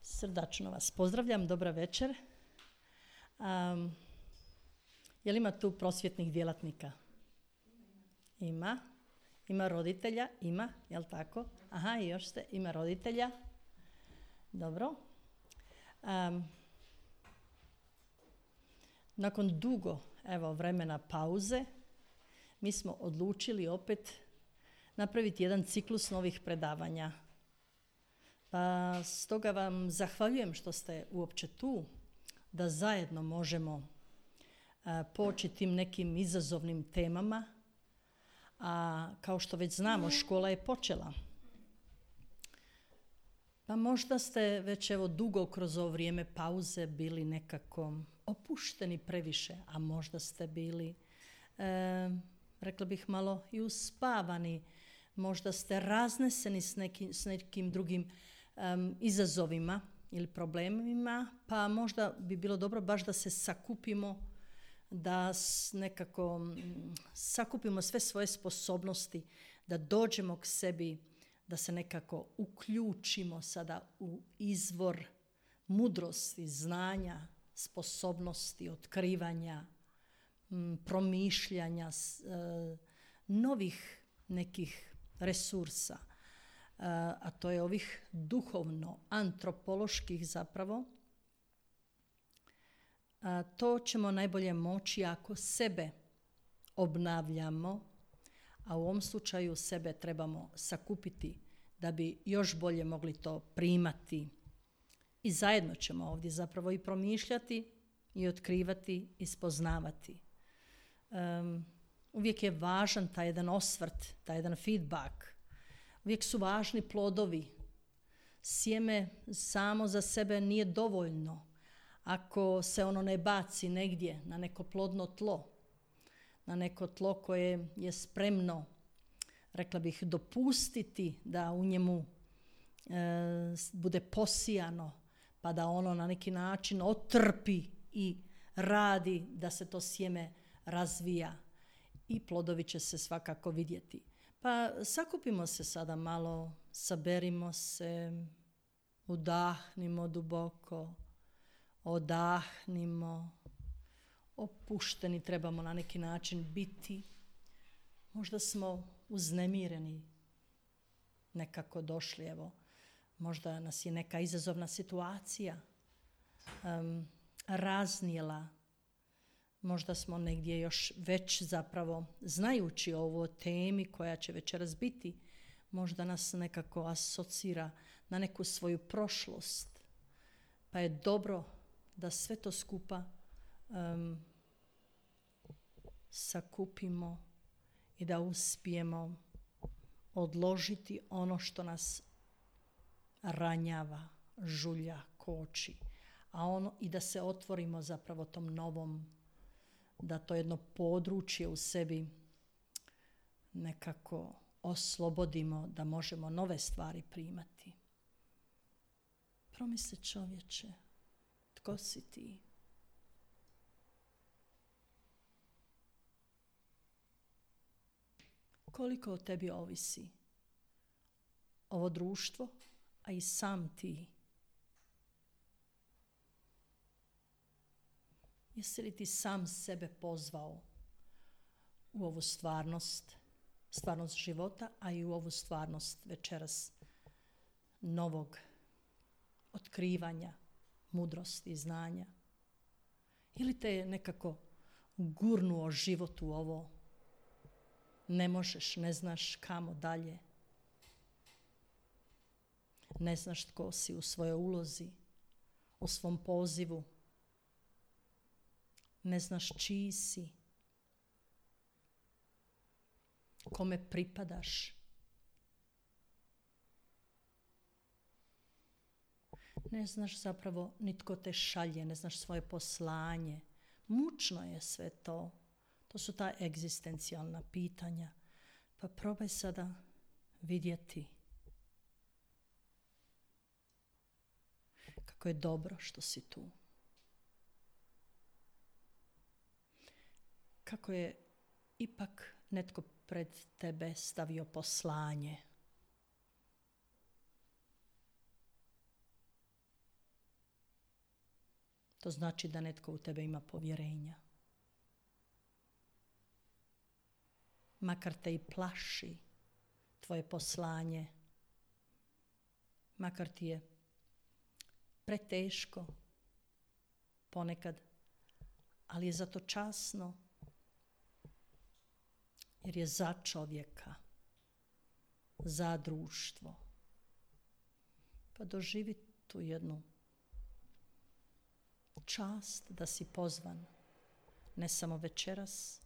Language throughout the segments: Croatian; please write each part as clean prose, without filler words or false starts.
Srdačno vas pozdravljam, dobra večer. Je li ima tu prosvjetnih djelatnika? Ima. Ima roditelja? Ima, jel tako? Aha, i još ima roditelja. Dobro. Nakon dugo vremena pauze, mi smo odlučili opet napraviti jedan ciklus novih predavanja. Pa stoga vam zahvaljujem što ste uopće tu, da zajedno možemo poći tim nekim izazovnim temama. A kao što već znamo, škola je počela. Pa možda ste već dugo kroz ovo vrijeme pauze bili nekako opušteni previše, a možda ste bili, rekla bih, malo i uspavani. Možda ste razneseni s nekim drugim izazovima ili problemima, pa možda bi bilo dobro baš da se sakupimo, da nekako sakupimo sve svoje sposobnosti, da dođemo k sebi, da se nekako uključimo sada u izvor mudrosti, znanja, sposobnosti, otkrivanja, promišljanja, novih nekih resursa, a to je ovih duhovno-antropoloških zapravo. To ćemo najbolje moći ako sebe obnavljamo, a u ovom slučaju sebe trebamo sakupiti da bi još bolje mogli to primati. I zajedno ćemo ovdje zapravo i promišljati, i otkrivati, i spoznavati. Uvijek je važan taj jedan osvrt, taj jedan feedback. Uvijek su važni plodovi. Sjeme samo za sebe nije dovoljno. Ako se ono ne baci negdje na neko plodno tlo, na neko tlo koje je spremno, rekla bih, dopustiti da u njemu bude posijano, pa da ono na neki način otrpi i radi da se to sjeme razvija i plodovi će se svakako vidjeti. Pa sakupimo se sada malo, saberimo se, udahnimo duboko, odahnimo, opušteni trebamo na neki način biti. Možda smo uznemireni nekako došli, možda nas je neka izazovna situacija raznijela. Možda smo negdje još već zapravo, znajući o ovoj temi koja će večeras biti, možda nas nekako asocira na neku svoju prošlost. Pa je dobro da sve to skupa sakupimo i da uspijemo odložiti ono što nas ranjava, žulja, koči, i da se otvorimo zapravo tom novom, da to jedno područje u sebi nekako oslobodimo, da možemo nove stvari primati. Promisli, čovječe, tko si ti? Koliko o tebi ovisi ovo društvo, a i sam ti? Jesi li ti sam sebe pozvao u ovu stvarnost života, a i u ovu stvarnost večeras novog otkrivanja, mudrosti i znanja? Ili te je nekako gurnuo život u ovo? Ne možeš, ne znaš kamo dalje. Ne znaš tko si u svojoj ulozi, u svom pozivu. Ne znaš čiji si. Kome pripadaš. Ne znaš zapravo ni tko te šalje, ne znaš svoje poslanje. Mučno je sve to. To su ta egzistencijalna pitanja. Pa probaj sada vidjeti kako je dobro što si tu. Kako je ipak netko pred tebe stavio poslanje. To znači da netko u tebe ima povjerenja. Makar te i plaši tvoje poslanje, makar ti je preteško ponekad, ali je zato časno jer je za čovjeka, za društvo. Pa doživi tu jednu čast da si pozvan, ne samo večeras,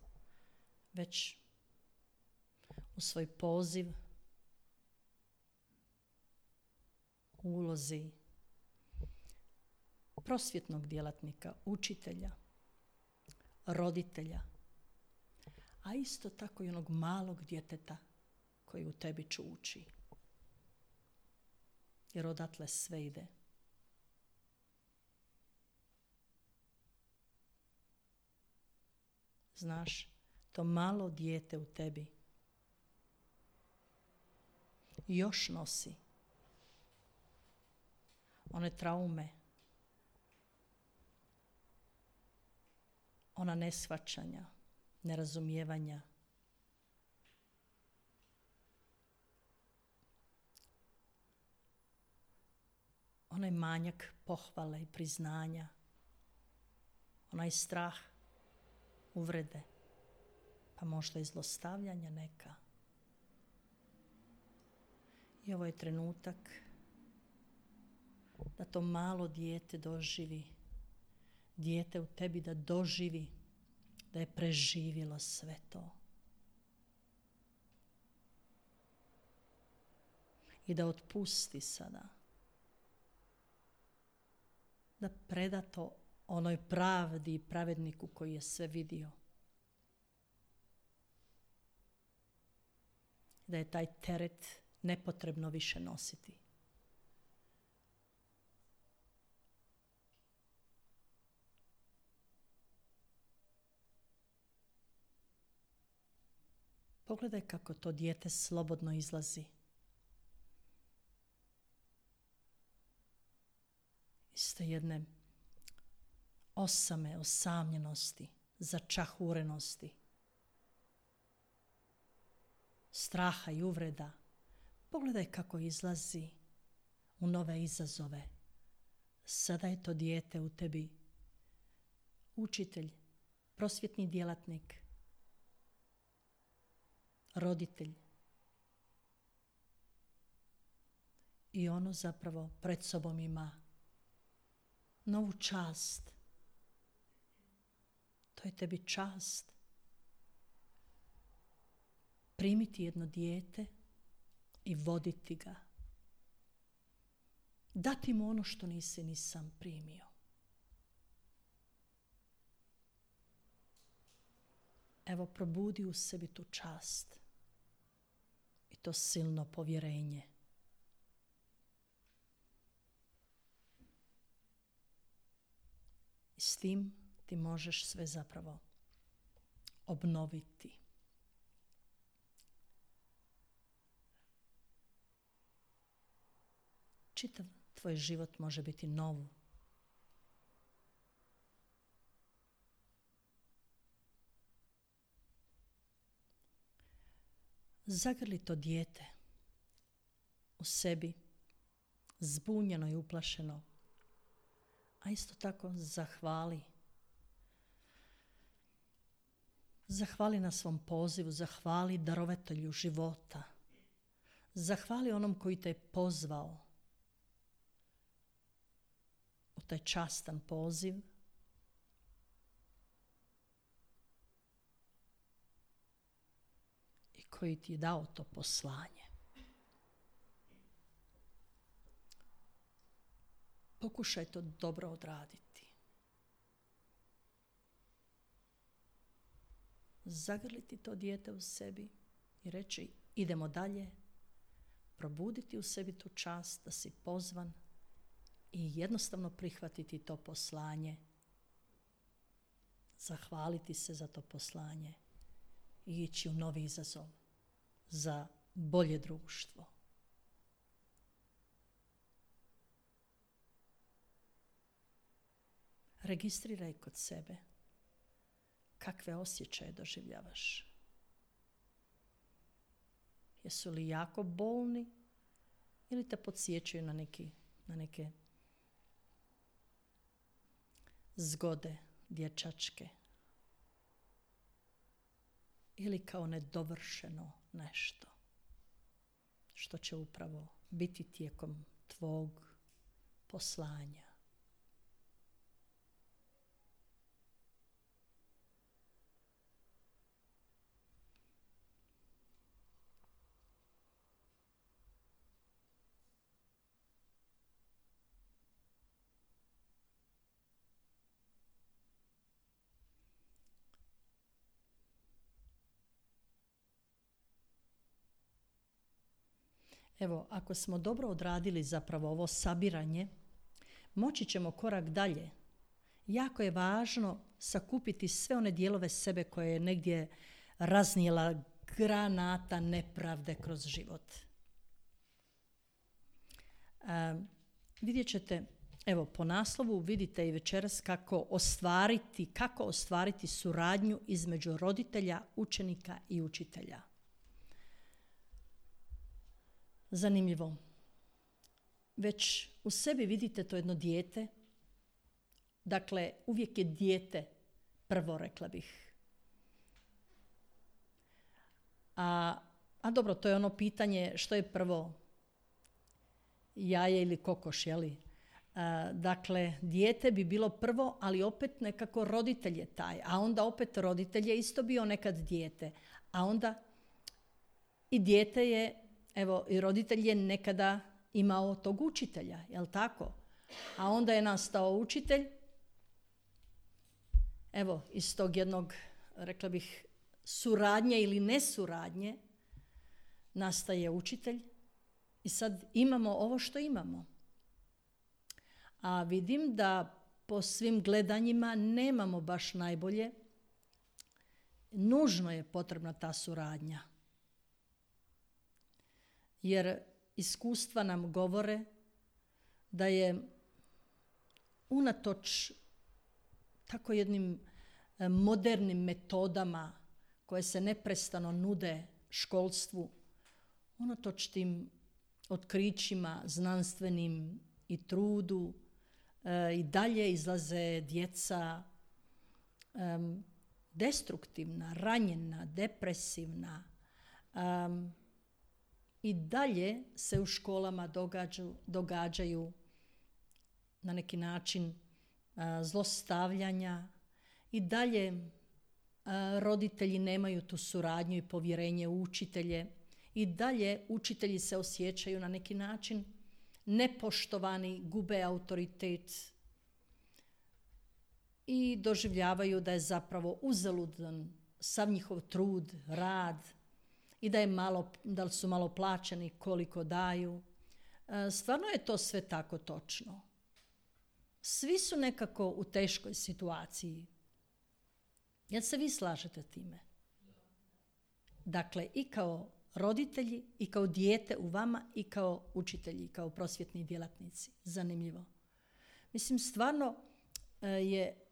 već u svoj poziv, u ulozi prosvjetnog djelatnika, učitelja, roditelja, a isto tako i onog malog djeteta koji u tebi čuči. Jer odatle sve ide. Znaš, to malo dijete u tebi još nosi one traume, ona neshvaćanja, nerazumijevanja, onaj manjak pohvale i priznanja, onaj strah, uvrede, pa možda i zlostavljanja neka. I ovo je trenutak da to malo dijete doživi, dijete u tebi da doživi da je preživjelo sve to. I da otpusti sada. Da preda to onoj pravdi i pravedniku koji je sve vidio. Da je taj teret nepotrebno više nositi. Pogledaj kako to dijete slobodno izlazi iz te jedne osame, osamljenosti, začahurenosti, straha i uvreda. Pogledaj kako izlazi u nove izazove. Sada je to dijete u tebi učitelj, prosvjetni djelatnik, roditelj. I ono zapravo pred sobom ima novu čast. To je tebi čast. Primiti jedno dijete i voditi ga. Dati mu ono što nisi ni sam primio. Evo, probudi u sebi tu čast i to silno povjerenje. I s tim ti možeš sve zapravo obnoviti. Čitav tvoj život može biti nov. Zagrli to dijete u sebi, zbunjeno i uplašeno, a isto tako zahvali. Zahvali na svom pozivu, zahvali darovatelju života. Zahvali onom koji te je pozvao u taj častan poziv. I koji ti je dao to poslanje. Pokušaj to dobro odraditi. Zagrliti to dijete u sebi i reći idemo dalje, probuditi u sebi tu čast da si pozvan i jednostavno prihvatiti to poslanje, zahvaliti se za to poslanje i ići u novi izazov za bolje društvo. registriraj kod sebe kakve osjećaje doživljavaš. Jesu li jako bolni ili te podsjećaju na neke zgode dječačke ili kao nedovršeno nešto što će upravo biti tijekom tvog poslanja. Evo, ako smo dobro odradili zapravo ovo sabiranje, moći ćemo korak dalje. Jako je važno sakupiti sve one dijelove sebe koje je negdje raznijela granata nepravde kroz život. Vidjet ćete, evo po naslovu vidite i večeras kako ostvariti suradnju između roditelja, učenika i učitelja. Zanimljivo. Već u sebi vidite to jedno dijete. Dakle, uvijek je dijete prvo, rekla bih. A dobro, to je ono pitanje što je prvo, jaje ili kokoš, jeli? Dakle, dijete bi bilo prvo, ali opet nekako roditelj je taj. A onda opet roditelj je isto bio nekad dijete. A onda i dijete je, evo, i roditelj je nekada imao tog učitelja, jel tako? A onda je nastao učitelj. Evo, iz tog jednog, rekla bih, suradnje ili nesuradnje nastaje učitelj. I sad imamo ovo što imamo. A vidim da po svim gledanjima nemamo baš najbolje. Nužno je potrebna ta suradnja. Jer iskustva nam govore da je unatoč tako jednim modernim metodama koje se neprestano nude školstvu, unatoč tim otkrićima znanstvenim i trudu, i dalje izlaze djeca destruktivna, ranjena, depresivna. I dalje se u školama događaju na neki način zlostavljanja. I dalje roditelji nemaju tu suradnju i povjerenje u učitelje. I dalje učitelji se osjećaju na neki način nepoštovani, gube autoritet i doživljavaju da je zapravo uzaludan sav njihov trud, rad i da su malo plaćeni koliko daju. Stvarno je to sve tako točno. Svi su nekako u teškoj situaciji. Jel se vi slažete time? Dakle, i kao roditelji, i kao dijete u vama, i kao učitelji, i kao prosvjetni djelatnici. Zanimljivo. Mislim, stvarno je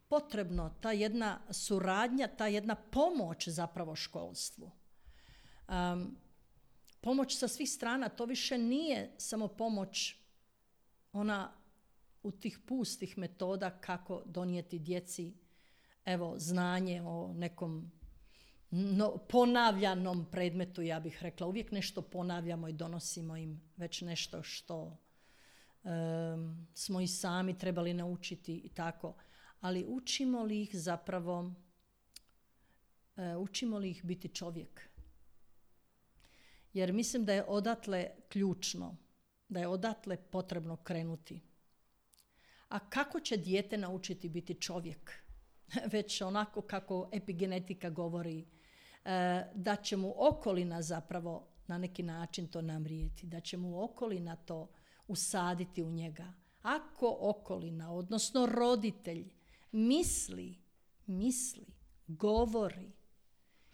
potrebno ta jedna suradnja, ta jedna pomoć zapravo školstvu. Pomoć sa svih strana, to više nije samo pomoć ona u tih pustih metoda kako donijeti djeci znanje o nekom ponavljanom predmetu, ja bih rekla. Uvijek nešto ponavljamo i donosimo im već nešto što smo i sami trebali naučiti i tako. Ali učimo li ih zapravo, učimo li ih biti čovjek? Jer mislim da je odatle ključno, da je odatle potrebno krenuti. A kako će dijete naučiti biti čovjek? Već onako kako epigenetika govori, da će mu okolina zapravo na neki način to namrijeti, da će mu okolina to usaditi u njega. Ako okolina, odnosno roditelj, misli, govori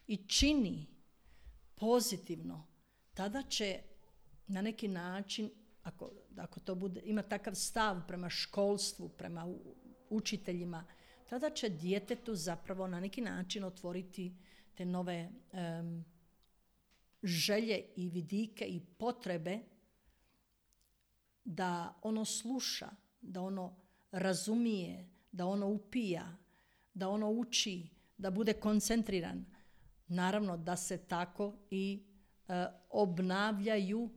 i čini pozitivno, tada će na neki način, ako to bude, ima takav stav prema školstvu, prema učiteljima, tada će djetetu zapravo na neki način otvoriti te nove želje i vidike i potrebe da ono sluša, da ono razumije, da ono upija, da ono uči, da bude koncentriran. Naravno da se tako i obnavljaju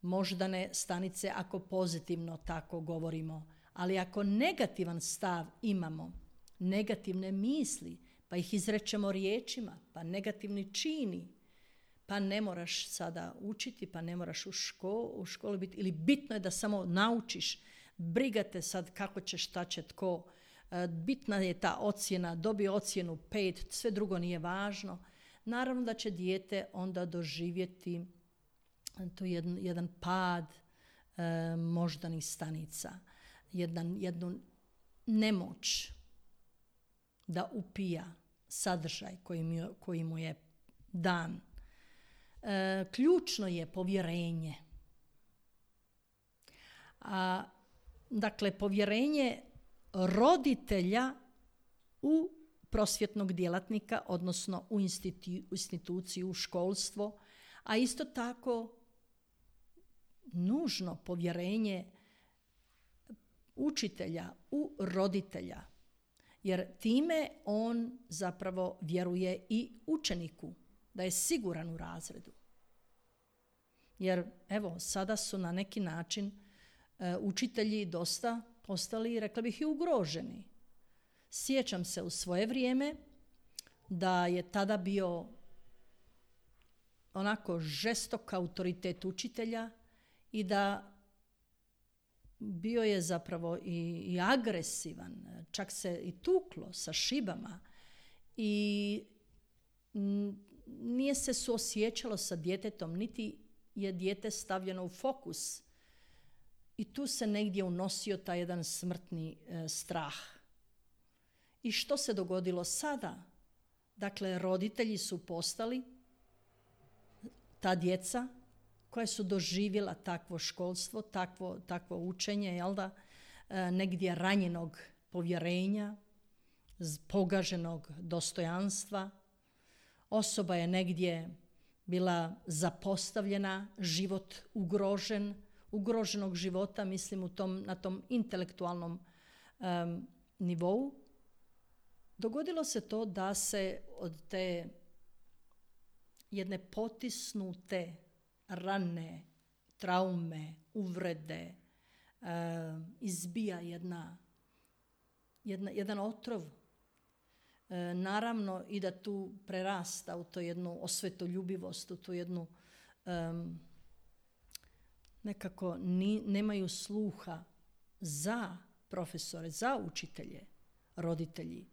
moždane stanice ako pozitivno tako govorimo. Ali ako negativan stav imamo, negativne misli, pa ih izrečemo riječima, pa negativni čini, pa ne moraš sada učiti, pa ne moraš u školi biti, ili bitno je da samo naučiš, briga te sad kako će, šta će, tko, bitna je ta ocjena, dobije ocjenu 5, sve drugo nije važno. Naravno da će dijete onda doživjeti to jedan pad moždanih stanica, jednu nemoć da upija sadržaj koji mu je dan. Ključno je povjerenje. Dakle, povjerenje roditelja u prosvjetnog djelatnika, odnosno u instituciju, u školstvo, a isto tako nužno povjerenje učitelja u roditelja, jer time on zapravo vjeruje i učeniku da je siguran u razredu. Jer evo, sada su na neki način učitelji dosta postali, rekla bih, i ugroženi. Sjećam se u svoje vrijeme da je tada bio onako žestok autoritet učitelja i da bio je zapravo i agresivan, čak se i tuklo sa šibama i nije se suosjećalo sa djetetom, niti je dijete stavljeno u fokus. I tu se negdje unosio taj jedan smrtni strah. I što se dogodilo sada? Dakle, roditelji su postali ta djeca koja su doživjela takvo školstvo, takvo učenje, jel da, negdje ranjenog povjerenja, pogaženog dostojanstva. Osoba je negdje bila zapostavljena, život ugroženog života, mislim na tom intelektualnom nivou. Dogodilo se to da se od te jedne potisnute rane, traume, uvrede izbija jedan otrov. Naravno i da tu prerasta u to jednu osvetoljubivost, u tu jednu nekako nemaju sluha za profesore, za učitelje, roditelji,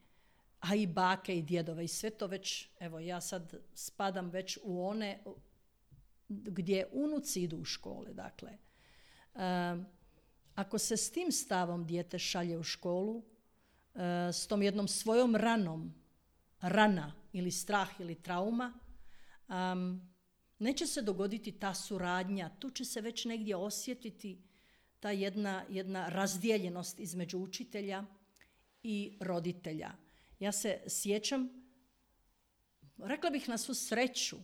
a i bake i djedove i sve to već, evo ja sad spadam već u one gdje unuci idu u škole. Dakle, ako se s tim stavom dijete šalje u školu, s tom jednom svojom rana ili strah ili trauma, neće se dogoditi ta suradnja, tu će se već negdje osjetiti ta jedna razdijeljenost između učitelja i roditelja. Ja se sjećam, rekla bih na svu sreću,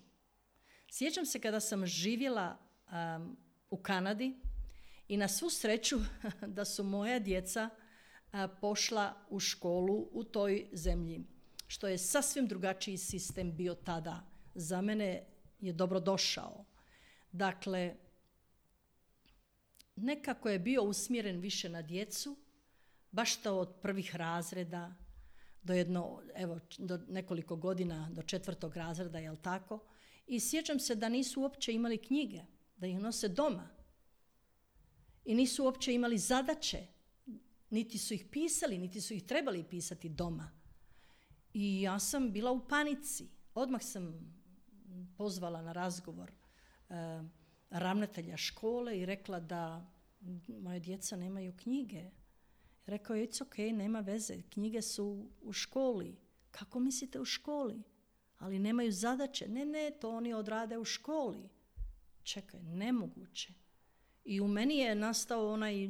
sjećam se kada sam živjela u Kanadi i na svu sreću da su moja djeca pošla u školu u toj zemlji, što je sasvim drugačiji sistem bio tada. Za mene je dobro došao. Dakle, nekako je bio usmjeren više na djecu, baš to od prvih razreda do nekoliko godina, do 4. razreda, jel tako? I sjećam se da nisu uopće imali knjige, da ih nose doma. I nisu uopće imali zadaće, niti su ih pisali, niti su ih trebali pisati doma. I ja sam bila u panici. Odmah sam pozvala na razgovor ravnatelja škole i rekla da moje djeca nemaju knjige. Rekao je, it's ok, nema veze, knjige su u školi. Kako mislite u školi? Ali nemaju zadaće. Ne, to oni odrade u školi. Čekaj, nemoguće. I u meni je nastao onaj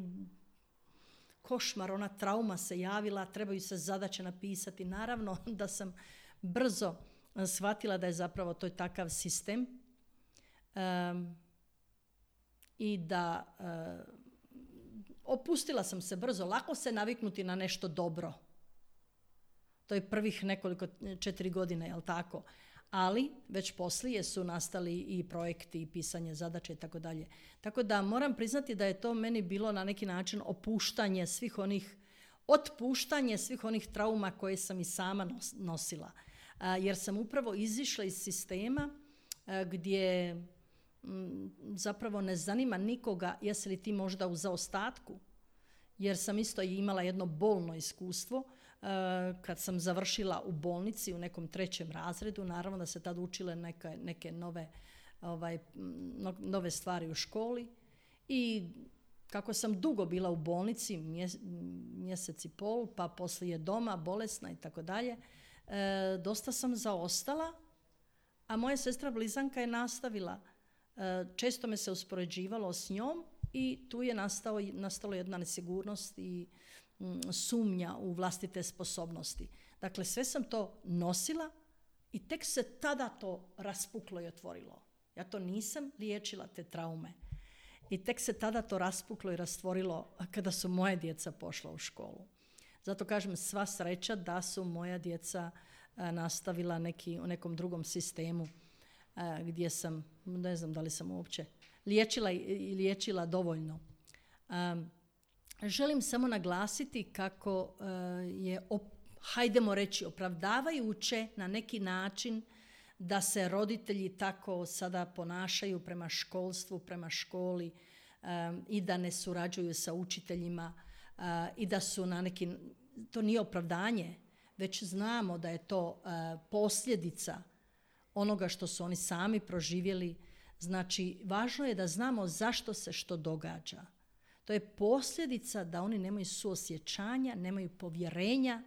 košmar, ona trauma se javila, trebaju se zadaće napisati. Naravno da sam brzo shvatila da je zapravo to takav sistem i da opustila sam se brzo. Lako se naviknuti na nešto dobro. To je prvih 4 godine, jel tako? Ali već poslije su nastali i projekti i pisanje zadaće i tako dalje. Tako da moram priznati da je to meni bilo na neki način otpuštanje svih onih trauma koje sam i sama nosila. Jer sam upravo izišla iz sistema gdje zapravo ne zanima nikoga jesi li ti možda u zaostatku. Jer sam isto imala jedno bolno iskustvo kad sam završila u bolnici u nekom 3. razredu. Naravno da se tad učile neke nove stvari u školi. I kako sam dugo bila u bolnici, mjesec i pol, pa poslije doma, bolesna i tako dalje, dosta sam zaostala, a moja sestra blizanka je nastavila. Često me se uspoređivalo s njom i tu je nastalo jedna nesigurnost i sumnja u vlastite sposobnosti. Dakle, sve sam to nosila i tek se tada to raspuklo i otvorilo. Ja to nisam liječila, te traume. I tek se tada to raspuklo i rastvorilo kada su moja djeca pošla u školu. Zato kažem, sva sreća da su moja djeca nastavila u nekom drugom sistemu gdje sam, ne znam da li sam uopće liječila dovoljno. Želim samo naglasiti kako je, hajdemo reći, opravdavajuće na neki način da se roditelji tako sada ponašaju prema školstvu, prema školi i da ne surađuju sa učiteljima i da su na neki, to nije opravdanje, već znamo da je to posljedica onoga što su oni sami proživjeli. Znači, važno je da znamo zašto se što događa. To je posljedica da oni nemaju suosjećanja, nemaju povjerenja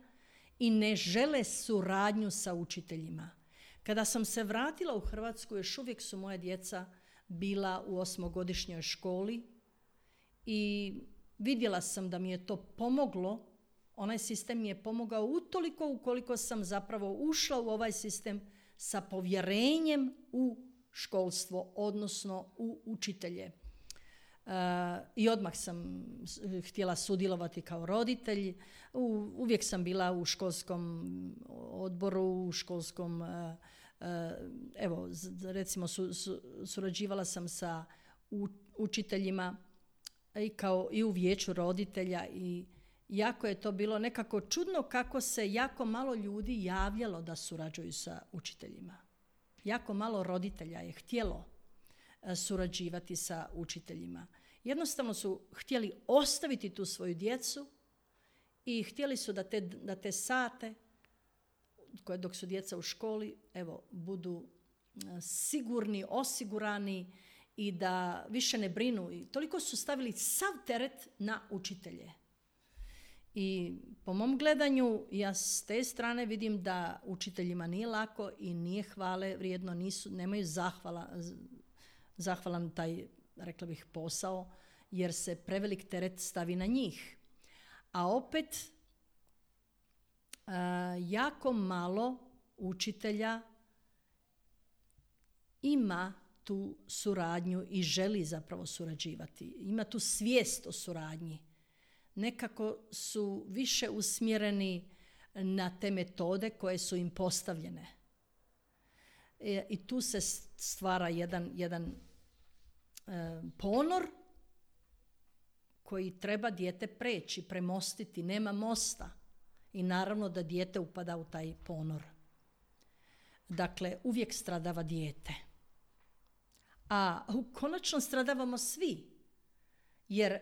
i ne žele suradnju sa učiteljima. Kada sam se vratila u Hrvatsku, još uvijek su moja djeca bila u 8-godišnjoj školi i vidjela sam da mi je to pomoglo. Onaj sistem mi je pomogao utoliko ukoliko sam zapravo ušla u ovaj sistem sa povjerenjem u školstvo, odnosno u učitelje. I odmah sam htjela sudjelovati kao roditelj. Uvijek sam bila u školskom odboru, u školskom, evo, recimo surađivala sam sa učiteljima i u vijeću roditelja i jako je to bilo nekako čudno kako se jako malo ljudi javljalo da surađuju sa učiteljima. Jako malo roditelja je htjelo surađivati sa učiteljima. Jednostavno su htjeli ostaviti tu svoju djecu i htjeli su da te sate koje dok su djeca u školi, evo, budu sigurni, osigurani i da više ne brinu. I toliko su stavili sav teret na učitelje. I po mom gledanju, ja s te strane vidim da učiteljima nije lako i nije hvale vrijedno, nemaju zahvalan taj, rekla bih, posao, jer se prevelik teret stavi na njih. A opet, jako malo učitelja ima tu suradnju i želi zapravo surađivati. Ima tu svijest o suradnji. Nekako su više usmjereni na te metode koje su im postavljene. I tu se stvara jedan ponor koji treba dijete preći, premostiti. Nema mosta. I naravno da dijete upada u taj ponor. Dakle, uvijek stradava dijete. A konačno stradavamo svi. Jer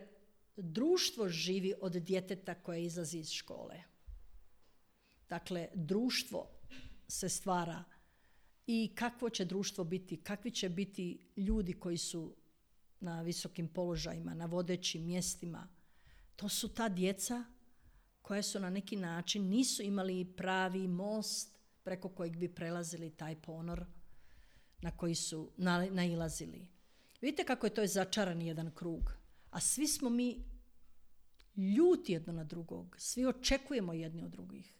društvo živi od djeteta koje izlazi iz škole. Dakle, društvo se stvara i kakvo će društvo biti, kakvi će biti ljudi koji su na visokim položajima, na vodećim mjestima. To su ta djeca koja su na neki način nisu imali pravi most preko kojeg bi prelazili taj ponor na koji su nailazili. Vidite kako je to začaran jedan krug. A svi smo mi ljuti jedno na drugog. Svi očekujemo jedni od drugih.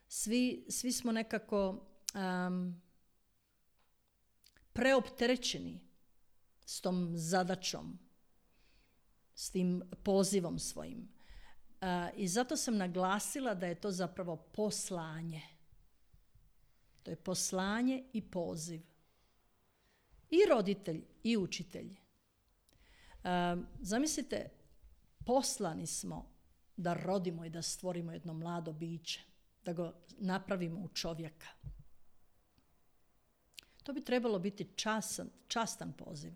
Svi smo nekako preopterećeni s tom zadaćom, s tim pozivom svojim. I zato sam naglasila da je to zapravo poslanje. To je poslanje i poziv. I roditelj i učitelj. Zamislite, poslani smo da rodimo i da stvorimo jedno mlado biće, da ga napravimo u čovjeka. To bi trebalo biti častan poziv.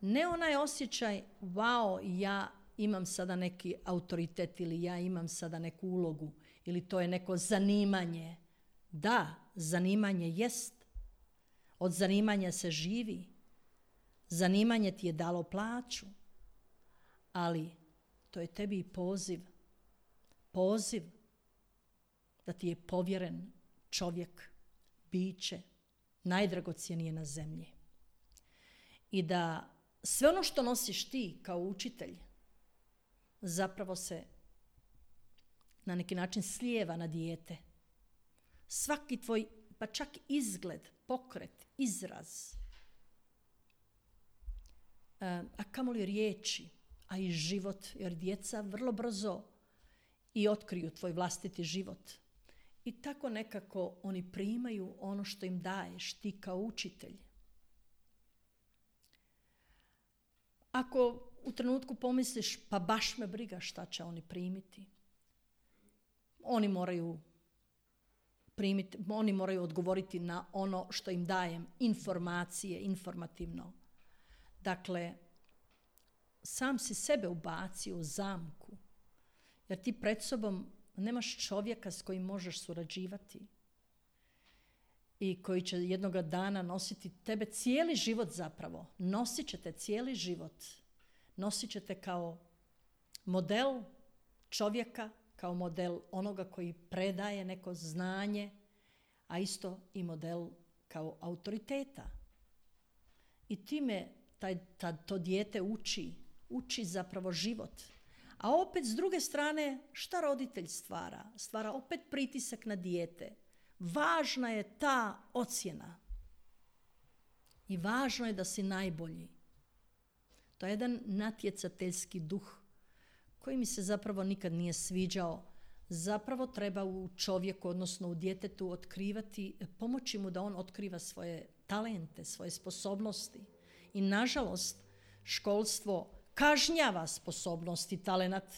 Ne onaj osjećaj, wow, ja imam sada neki autoritet ili ja imam sada neku ulogu ili to je neko zanimanje. Da, zanimanje jest. Od zanimanja se živi. Zanimanje ti je dalo plaću. Ali to je tebi i poziv. Poziv da ti je povjeren čovjek, biće, najdragocjenije na zemlji. I da sve ono što nosiš ti kao učitelj zapravo se na neki način slijeva na dijete. Svaki tvoj, pa čak izgled, pokret, izraz, a kamoli riječi, a i život, jer djeca vrlo brzo i otkriju tvoj vlastiti život. I tako nekako oni primaju ono što im daješ ti kao učitelj. Ako u trenutku pomisliš, pa baš me briga šta će oni primiti, oni moraju odgovoriti na ono što im dajem, informacije, informativno. Dakle, sam si sebe ubacio u zamku, jer ti pred sobom nemaš čovjeka s kojim možeš surađivati i koji će jednoga dana nositi tebe cijeli život zapravo. Nosit će te cijeli život. Nosit će te kao model čovjeka, kao model onoga koji predaje neko znanje, a isto i model kao autoriteta. I time to dijete uči zapravo život. A opet s druge strane, šta roditelj stvara? Stvara opet pritisak na dijete. Važna je ta ocjena. I važno je da si najbolji. To je jedan natjecateljski duh koji mi se zapravo nikad nije sviđao. Zapravo treba u čovjeku, odnosno u djetetu otkrivati, pomoći mu da on otkriva svoje talente, svoje sposobnosti. I nažalost, školstvo kažnjava sposobnost i talenat.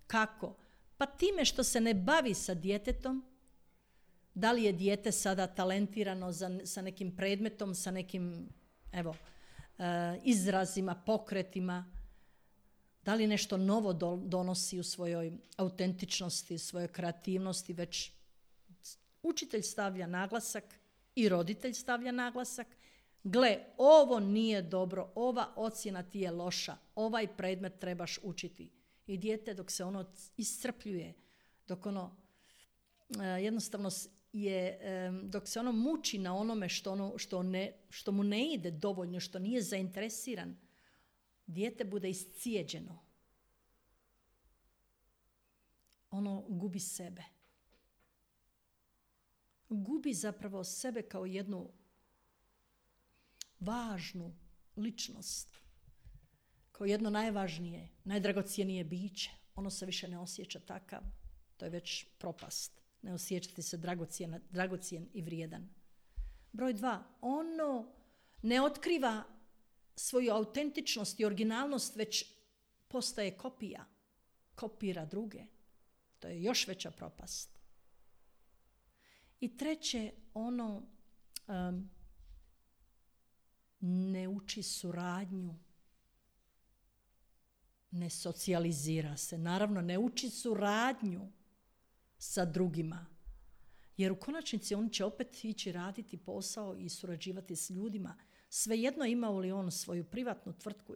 Kako? Pa time što se ne bavi sa djetetom, da li je dijete sada talentirano sa nekim predmetom, sa nekim izrazima, pokretima, da li nešto novo donosi u svojoj autentičnosti, svojoj kreativnosti, već učitelj stavlja naglasak i roditelj stavlja naglasak. Gle, ovo nije dobro, ova ocjena ti je loša, ovaj predmet trebaš učiti. I dijete dok se ono iscrpljuje, dok ono jednostavno dok se ono muči na onome što mu ne ide dovoljno, što nije zainteresiran, dijete bude iscijeđeno. Ono gubi sebe. Gubi zapravo sebe kao jednu važnu ličnost, kao jedno najvažnije, najdragocjenije biće. Ono se više ne osjeća takav, to je već propast. Ne osjećati se dragocjen i vrijedan. Broj 2, ono ne otkriva svoju autentičnost i originalnost, već postaje kopija, kopira druge. To je još veća propast. I 3, ono ne uči suradnju, ne socijalizira se. Naravno, ne uči suradnju sa drugima. Jer u konačnici on će opet ići raditi posao i surađivati s ljudima. Svejedno imao li on svoju privatnu tvrtku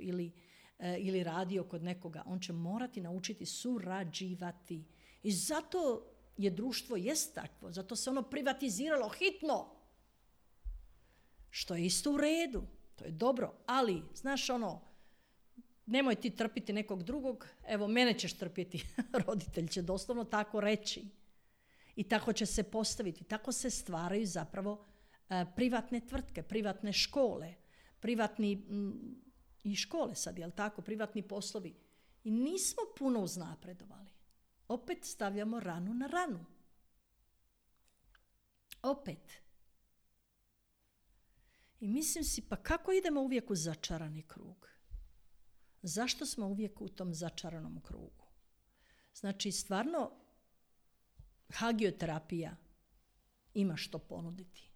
ili radio kod nekoga, on će morati naučiti surađivati. I zato je društvo jest takvo, zato se ono privatiziralo hitno. Što je isto u redu, to je dobro, ali, znaš nemoj ti trpiti nekog drugog, evo mene ćeš trpjeti. Roditelj će doslovno tako reći. I tako će se postaviti. Tako se stvaraju zapravo privatne tvrtke, privatne škole, privatni i škole sad, jel tako, privatni poslovi. I nismo puno uznapredovali. Opet stavljamo ranu na ranu. Opet. I mislim si, pa kako idemo uvijek u začarani krug? Zašto smo uvijek u tom začaranom krugu? Znači, stvarno, hagioterapija ima što ponuditi.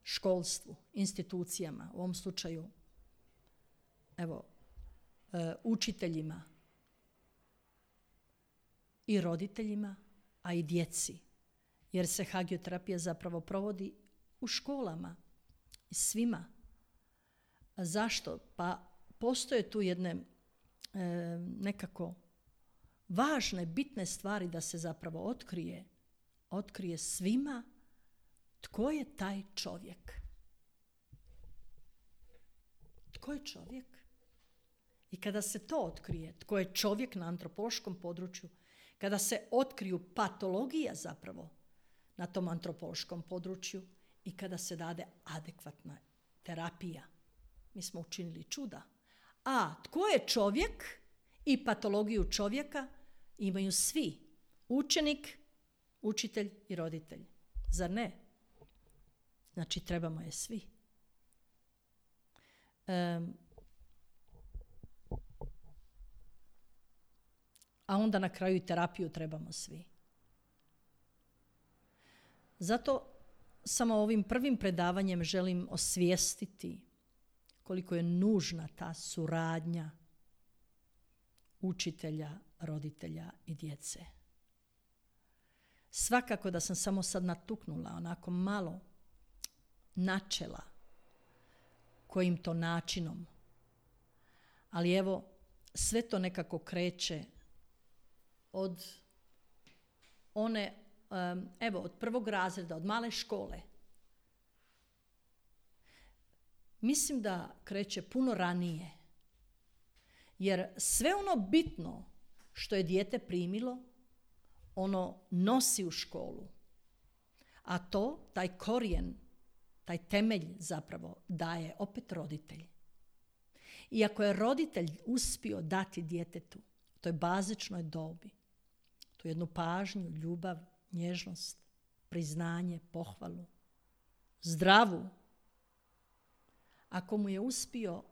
Školstvu, institucijama, u ovom slučaju, evo, učiteljima i roditeljima, a i djeci. Jer se hagioterapija zapravo provodi u školama i svima. A zašto? Pa postoje tu jedne nekako važne, bitne stvari da se zapravo otkrije svima tko je taj čovjek. Tko je čovjek? I kada se to otkrije, tko je čovjek na antropološkom području, kada se otkriju patologija zapravo na tom antropološkom području i kada se dade adekvatna terapija, mi smo učinili čuda. A tko je čovjek i patologiju čovjeka imaju svi. Učenik, učitelj i roditelj. Zar ne? Znači, trebamo je svi. A onda na kraju i terapiju trebamo svi. Zato samo ovim prvim predavanjem želim osvijestiti koliko je nužna ta suradnja učitelja, roditelja i djece. Svakako da sam samo sad natuknula onako malo načela kojim to načinom. Ali evo, sve to nekako kreće od od prvog razreda, od male škole. Mislim da kreće puno ranije. Jer sve ono bitno što je dijete primilo, ono nosi u školu. A taj korijen, taj temelj zapravo daje opet roditelj. I ako je roditelj uspio dati djetetu, toj bazičnoj dobi, tu jednu pažnju, ljubav, nježnost, priznanje, pohvalu, zdravu, ako mu je uspio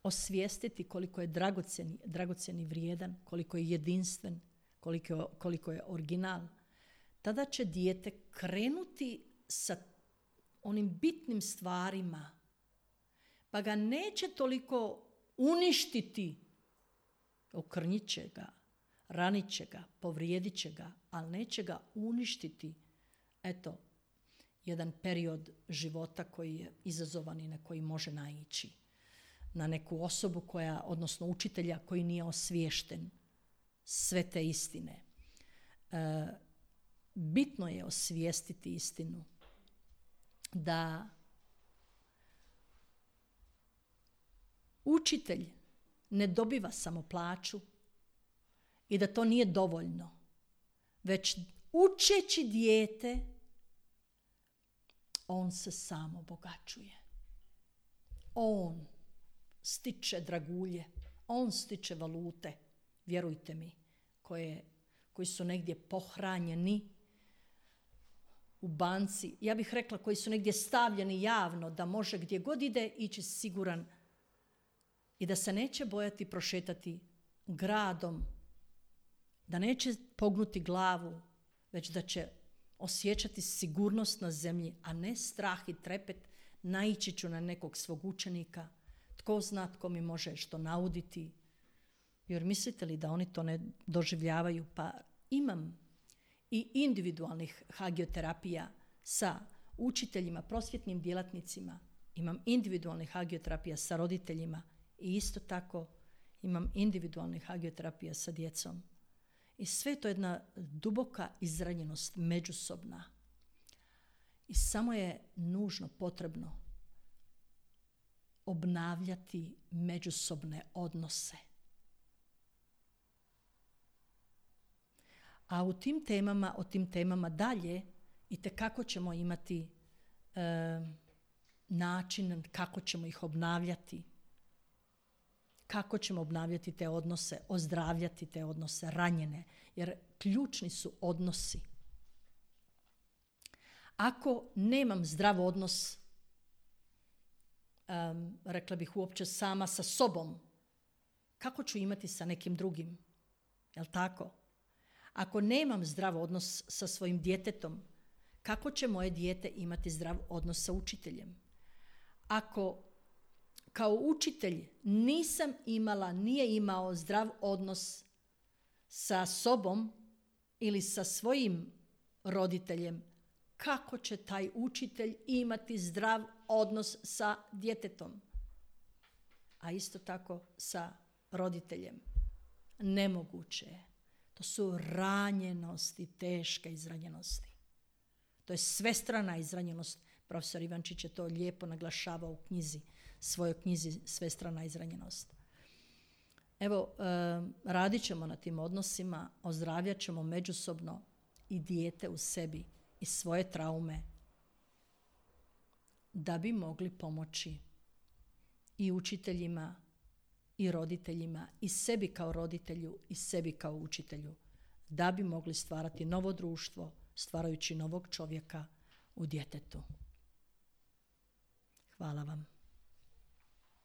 osvijestiti koliko je dragocjen i vrijedan, koliko je jedinstven, koliko je original, tada će dijete krenuti sa onim bitnim stvarima, pa ga neće toliko uništiti, okrnjit će ga, ranit će ga, povrijedit će ga, ali neće ga uništiti. Eto, jedan period života koji je izazovan i na koji može naići. Na neku osobu odnosno učitelja koji nije osviješten sve te istine. Bitno je osvijestiti istinu da učitelj ne dobiva samo plaću i da to nije dovoljno, već učeći dijete on se sam obogaćuje. On stiče dragulje, on stiče valute, vjerujte mi, koji su negdje pohranjeni u banci. Ja bih rekla koji su negdje stavljeni javno da može gdje god ide ići siguran i da se neće bojati prošetati gradom, da neće pognuti glavu, već da će osjećati sigurnost na zemlji, a ne strah i trepet, naići ću na nekog svog učenika, tko zna tko mi može što nauditi. Jer mislite li da oni to ne doživljavaju? Pa imam i individualnih hagioterapija sa učiteljima, prosvjetnim djelatnicima, imam individualnih hagioterapija sa roditeljima i isto tako imam individualnih hagioterapija sa djecom. I sve to je jedna duboka izranjenost međusobna. I samo je nužno potrebno obnavljati međusobne odnose. A o tim temama dalje itekako ćemo imati način kako ćemo ih obnavljati. Kako ćemo obnavljati te odnose, ozdravljati te odnose, ranjene, jer ključni su odnosi. Ako nemam zdrav odnos, rekla bih uopće sama sa sobom, kako ću imati sa nekim drugim? Jel' tako? Ako nemam zdrav odnos sa svojim djetetom, kako će moje dijete imati zdrav odnos sa učiteljem? Ako kao učitelj nije imao zdrav odnos sa sobom ili sa svojim roditeljem, kako će taj učitelj imati zdrav odnos sa djetetom? A isto tako sa roditeljem. Nemoguće je. To su ranjenosti, teške izranjenosti. To je svestrana izranjenost. Profesor Ivančić je to lijepo naglašavao u svojoj knjizi Svestrana izranjenost. Evo, radit ćemo na tim odnosima, ozdravljat ćemo međusobno i dijete u sebi i svoje traume da bi mogli pomoći i učiteljima i roditeljima i sebi kao roditelju i sebi kao učitelju, da bi mogli stvarati novo društvo, stvarajući novog čovjeka u djetetu. Hvala vam.